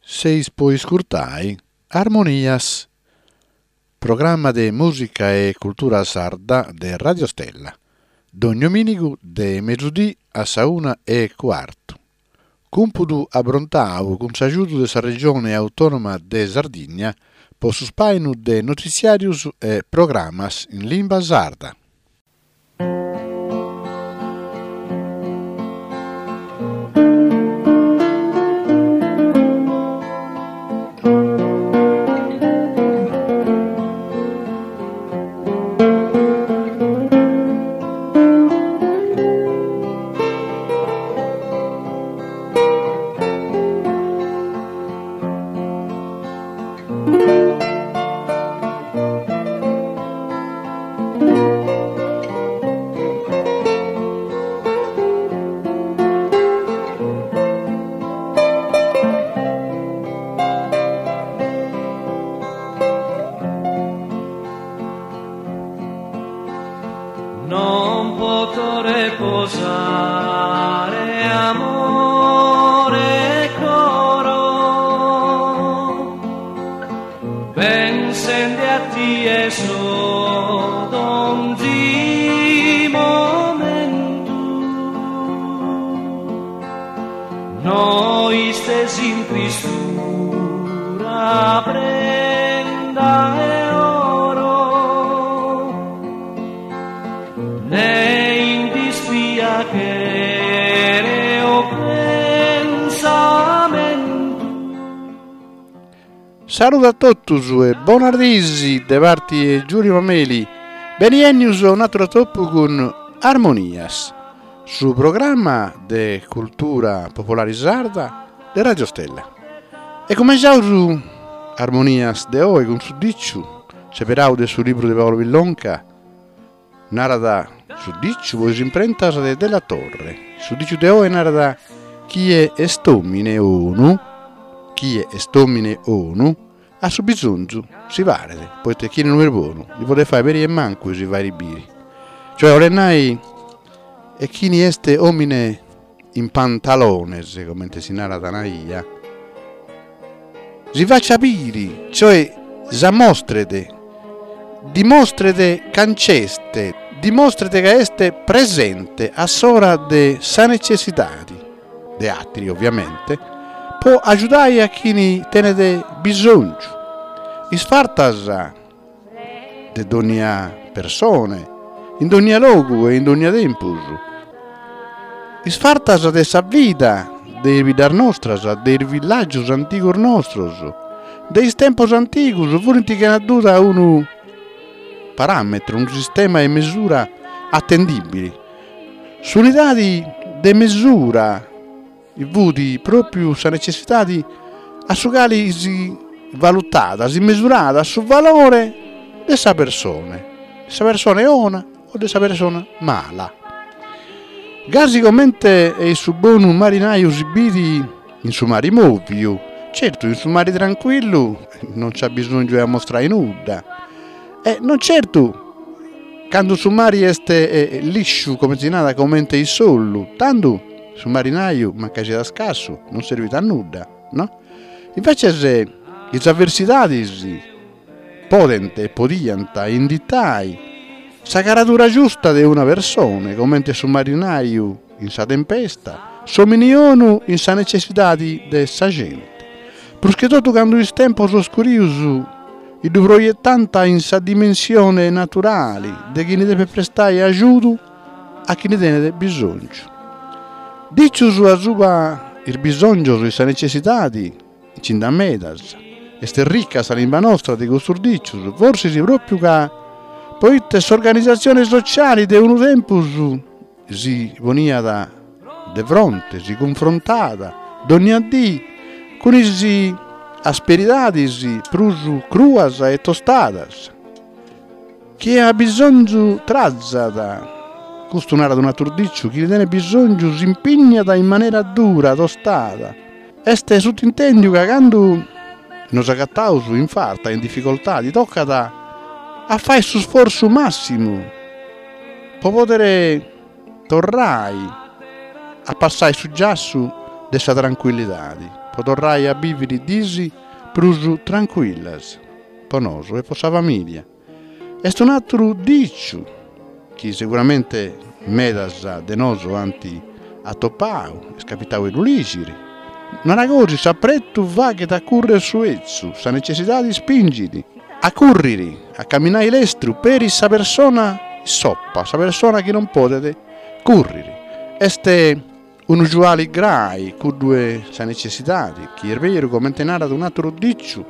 Seis po iscurtai Armonias, programma de mùsica e cultura sarda de Radio Stella, dogni domìnigu de mesudì a sa una e cuartu. Cumpudu abrontau cun s'agiudu de sa Regione Autònoma de Sardigna po su spàinu de notitziàrius e programas in limba sarda. Non poto reposare amore e coro Pensende a tie so donzi momentu No istes in tristura prenda 'e oro Ne in dispiachere o pensamentu. Saludu a totus e bonas diis de parti 'e Giulio Mameli, beni 'ennius a un'atru atopu cun Armonias, su programma de cultura popolari sarda de Radio Stella. E cumenciaus Armonias de oi cun su diciu seberau de su libru de Paolo Pillonca, Narat su diciu po is imprentas de Della Torre. Su diciu de oe narat chie est omine 'onu, chie est omine 'onu, a su bisonzu si paret, poite chini no est bonu ndi podet fai peri 'e mancu 'e si fairi biri. Cioè 'olet nai e chini est omine in pantalones, comente si narat in 'idda, si facciat biri, cioè s'amostret, dimostret ca nc'est, dimostret ca est presente a s'ora de sa necessidadi, de atri ovviamente, po agiudai a chini tenet bisongiu. Is fartas de dònnia persone, in dònnia logu e in dònnia tempus. Is fartas de sa vida de is biddas nostras, de is villàgios antigos nostros, de is tempos antigos, furint chena duda unu paràmetru, unu sistema 'e mesura atendìbili. S'unidadi de mesura fut pròpiu sa necessidadi a su cali si valutat, si mesurat su valore de sa persone, de sa persone 'ona o de sa persona mala. Gasi comente e su bonu marinaju si bit in su mari mòviu, certu in su mari trancuillu non nc'at bisòngiu 'e amostrai nudda e non certu candu su mari est lisciu, comente si narat, comente s'ollu, tandu Su marinaju, mancai siat scassu, non servit a nudda, no? Invècias is avversidadis podent e podiant inditai sa caradura giusta de una persone, comente su marinaju in sa tempesta, s'omini 'onu in sa necessidadi de sa genti. Prus che totu candu is tempos oscurius ddu proietant in sa dimensione naturali de chini depet prestai agiudu a chini tenet bisòngiu. Dìcius asuba is bisòngios e sa necessidadi nci nd'at medas. Est rica sa limba nostra de custus dìcius, forsis pròpiu ca poite s'organizatzione sotziali de unu tempus si poniat de fronte, si cunfrontat dònnia dì cun is asperidadis prus cruas e tostadas. Chie at bisòngiu trazat, custu narat un'atru dìciu, chini tenet bisòngiu s'impignat in manera dura, tostada. Est sutintèndiu ca candu nos agataus in farta, in dificoltadi, tocat a fai su sfortzu màssimu po podere torrai a passai su giassu de sa trancuillidadi. po torrai a biviri dis prus trancuillas po nosu e po sa familia. Est un'aturu diciu chi seguramente medas de nosu ant atopau, est capitau 'e ddu ligiri. Narat gosi, s'apretu faghet a currer su 'etzu, sa necessidadi spingit a curriri, a caminai lestru peri sa persona issopa, sa persona chi non podet curriri. Est unu giuali grai cuddu 'e sa necessidadi, chi est beru, comente narat un'aturu diciu,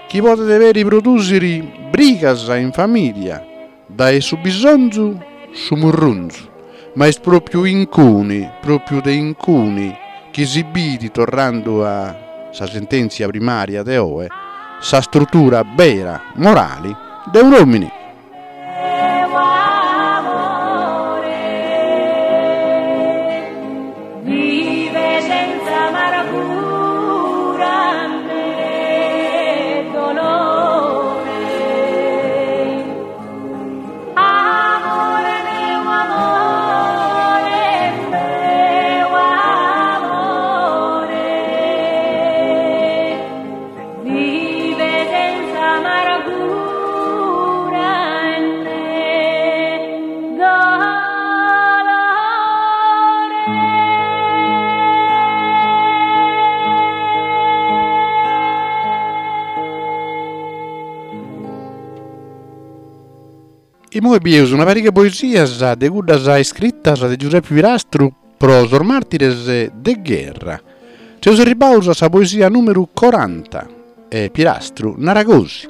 chi podet peri produsiri brigas in familia, dae su bisonzu su murrunzu, ma est propriu incuni, propriu de incuni, chi si bidi, torrandu a sa sentenzia primaria de oe, sa struttura bera morali de un'omini. Imoi bieus una pariga 'e poesias de cuddas iscritas de Giuseppe Pirastru pro sos martires de gherra. Seus arribbaus a sa poesia numeru coranta e Pirastru narat gosi,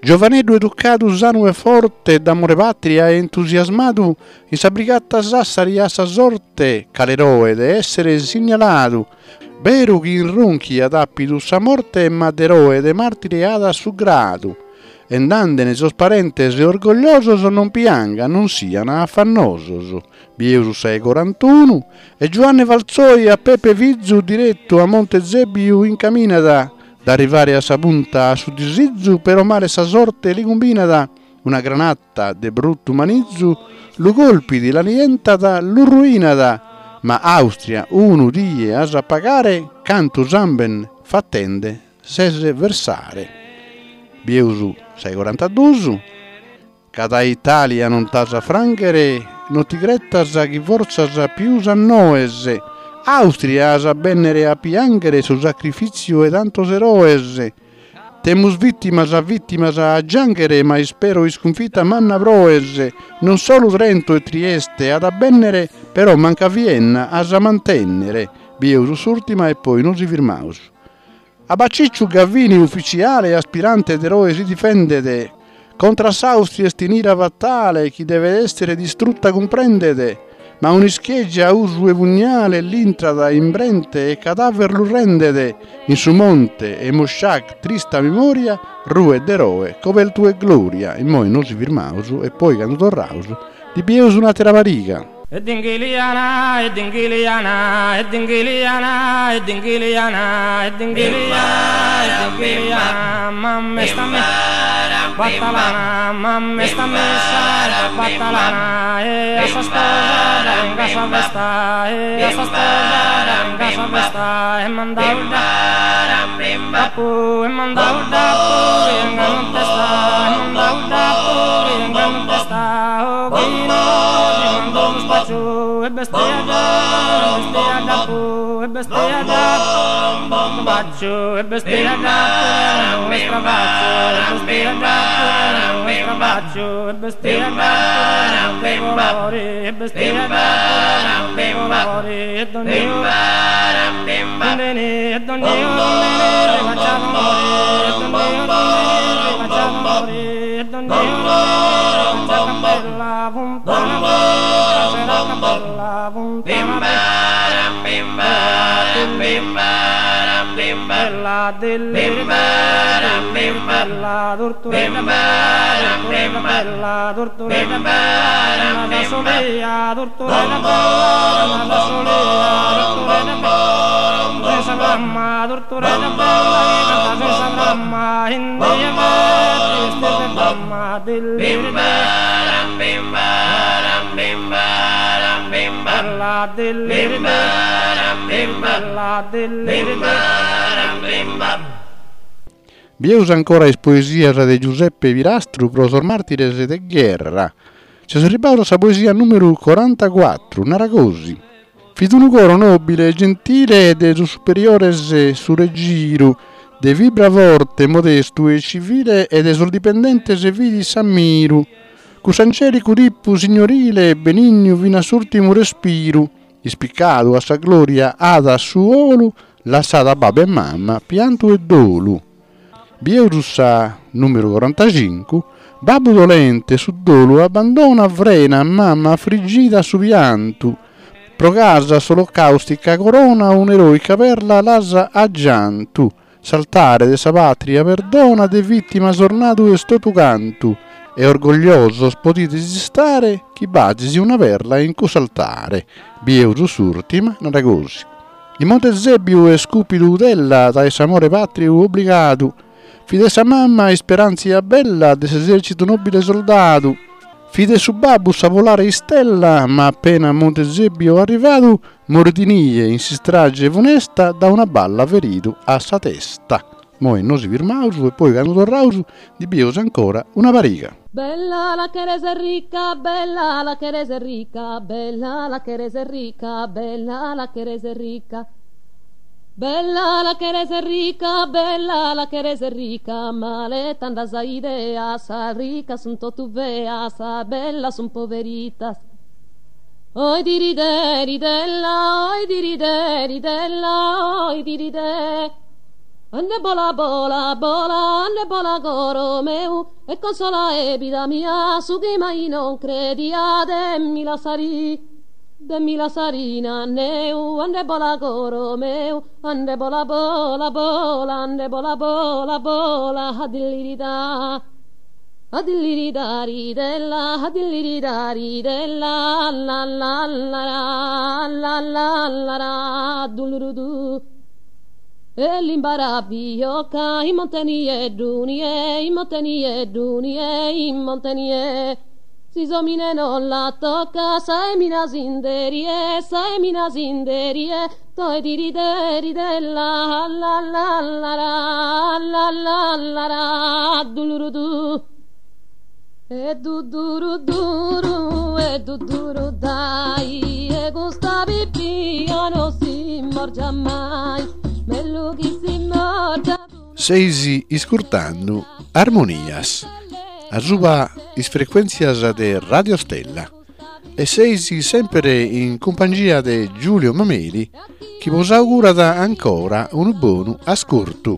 Giovaneddu educadu sanu e forte d'amore patria entusiasmadu in sa brigata Sassari at sa sorte cal'eroe de essere signaladu Beru chi in Ronchi at apidu sa morte ma d'eroe de martire at su gradu e nd'andene sos parentes orgogliosos non piangan non sian afannosos. Bieus sa 'e corantunu e Giuanne Valzoi a Pepe fizu direttu a Monte Zebbiu incaminat d'arrivare a sa punta at su disizu però male sa sorte li cumbinat una granata de bruttu manizu lu colpit l'annientat lu ruinat ma Austria unu die as a pagare cantu samben fatende ses versare. Bieus sa 'e corantaduus ca dae Italia non t'as a franghere non ti cretas chi fortzas pius a noes Austria as a bennere a pianghere su sacrifitziu 'e tantos eroes Temus vìtimas vìtimas a giànghere ma ispero iscunfita manna proes, non solu Trento e Trieste at a bènnere però mancu a Vienna as a mantènnere, bieus s'ùrtima e poi nos firmaus. A Bacicciu Gavini ufitziale aspirante d'eroe si difendet, Contra s'Austria est in ira fatale chi devet essere distrutta cumprendet, ma un'ischeggia a usu 'e pugnale l'intrat in brente e cadaver lu rendet, in su monte 'e Mosciac trista memoria ruet d'eroe cobeltu 'e gloria. Immoi nosi firmaus e poi candu torraus ndi bieus un'atera pariga. E dinghiliana, e dinghiliana, e dinghiliana, e dinghiliana, e dinghiliana, e dinghiliana, mamma sta me, batalana, mamma sta messa, batalana, e a sa sposa, venga sa festa, e a sa sposa, venga sa festa, e mandau da, e mandau da, venga non testa, e mandau da, venga non testa, oh, La Bieus ancora is poesias de Giuseppe Pirastru pro sos màrtires de gherra. Seus arribbaus a sa poesia nùmeru corantacuatru, narat gosi, Fit unu coro nòbile e gentile de sos superiores su regiru, de fibra forte, modestu e civile e de sos dipendentes fit s'ammiru. Cuss'angelicu tipu signorile benignu fin'a s'urtimu respiru, ispicadu a sa gloria at su 'olu, lassat a babbu e mama piantu e dolu. Bieus sa numeru corantacincu, babbu dolente su dolu abbandona frena mama afrigida su piantu, pro ch'as s'olocaustica corona un'eroica perla l'as aggiantu. S'altare de sa patria perdona de vittimas ornadu est totu cantu e orgogliosos podides istare chi b'azis una perla in cuss'altare. Bieus s'urtima, narat gosi. In Monte Zebbiu est cùpidu Utella dae s'amore patriu obbligadu, fit de sa mama isperantzia bella de s'esercitu nobile soldadu, fit de su babbu sa polare istella ma appena a Monte Zebbiu arrivadu Morit inie in s'istrage funesta da una balla feridu a sa testa. Moi nosi firmaus e poi candu torraus ndi bieus ancora una pariga. Bella la cheres ricca, bella la cheres ricca, bella la cheres ricca, bella la cheres ricca. Bella la cheres ricca, bella la cheres ricca, male t'andat sa idea, sas riccas sun totu feas, sas bellas sun poveritas. Oi diridè, ridella, oi diridè, ridella, oi diridè. Ande bola, bola, bola, ande bola coro meu, e consola e vida mia, su chi mai non credia, de mi lassari, de mi lassari in anneu, ande bola coro meu, ande bola, bola, bola, ande bola, bola, bola, adilliridà. Adilliridari della, adilliridari della, la la la la la la la la dulurudu. E l'imbarabiocca in monte nieddu nie, in monte nieddu nie, in monte nie. Si s'omine non la tocca, sa 'emina sinde rie, sa 'emina sinde rie, toe diride ridella, la la la la la la la la dulurudu. E du duru duru e du duru dai e custa pipia no si morgia mai mellu chi si morgia Seis iscurtando Armonias asuba is frecuèntzias de Radio Stella e seis semper in cumpangia de Giulio Mameli chi bos augurat ancora unu bonu ascurtu.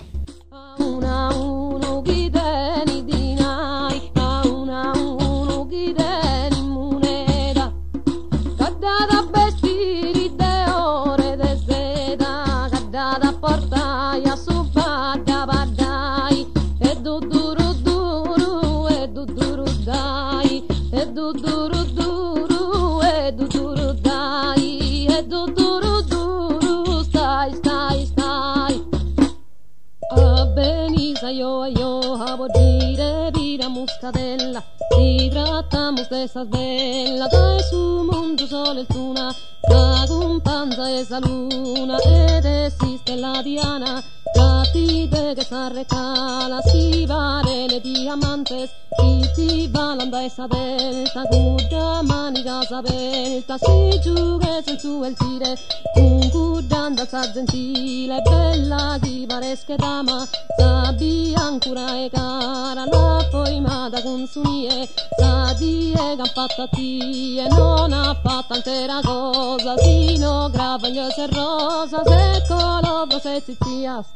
Muscadella Si tratamos de sas bellas dae su mundu sole est una Sa cumpanza 'e sa luna ed est s'istella Diana Ca ti deghet sa recala Si parene diamantes Chi ti falan dae sa pelta Cudda manigas abeltas Si giughes in su 'eltire Cun cudd'andalza zentile Bella chi pares che dama Sa biancura 'e cara L'apo 'imada cun su nie Sa die ch'an fattu a tie Non at fattu altera cosa Si no gravaglios e rosas E colovros e zizias.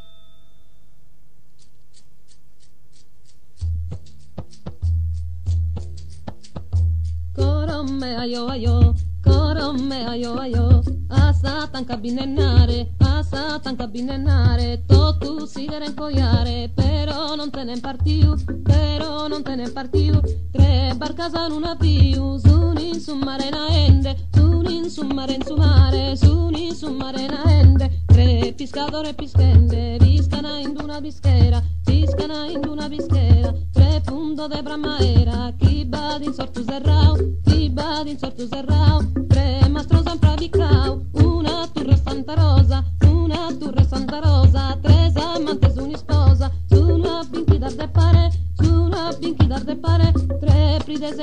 Coro me aio aio, coro me aio aio, a sa tanca binnennare, a sa tanca binnennare, totu si cheren coiare, però non tenen partiu, però non tenen partiu, tre barcas an unu aviu, sun in su mare naende, sun in su mare in su mare, sun in su mare naende, tre piscadores pischende, piscana in d'una pischera, piscana in d'una pischera, tre fundos de pramaera, chi b'at in s'ortu serrau, chi b'at in s'ortu serrau, tre mastros an.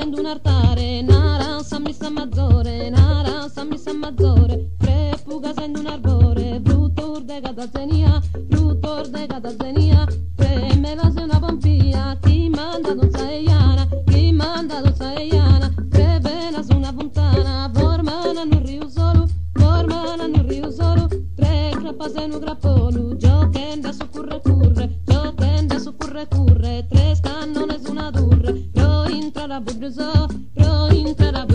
in un altare, naran sa missa maggiore, naran sa missa maggiore, tre fugas in un arbore, frutto de cada zenia, frutto de cada zenia, tre melas e una pompia, chi manda non sa eiana, chi manda non sa eiana, tre venas una fontana, formana un rio solo, formana un rio solo, tre crapas e un grappolo, giochenda su curre curre, giochenda su curre curre, tre scannones una turre, pro intra la burzo, pro intra la.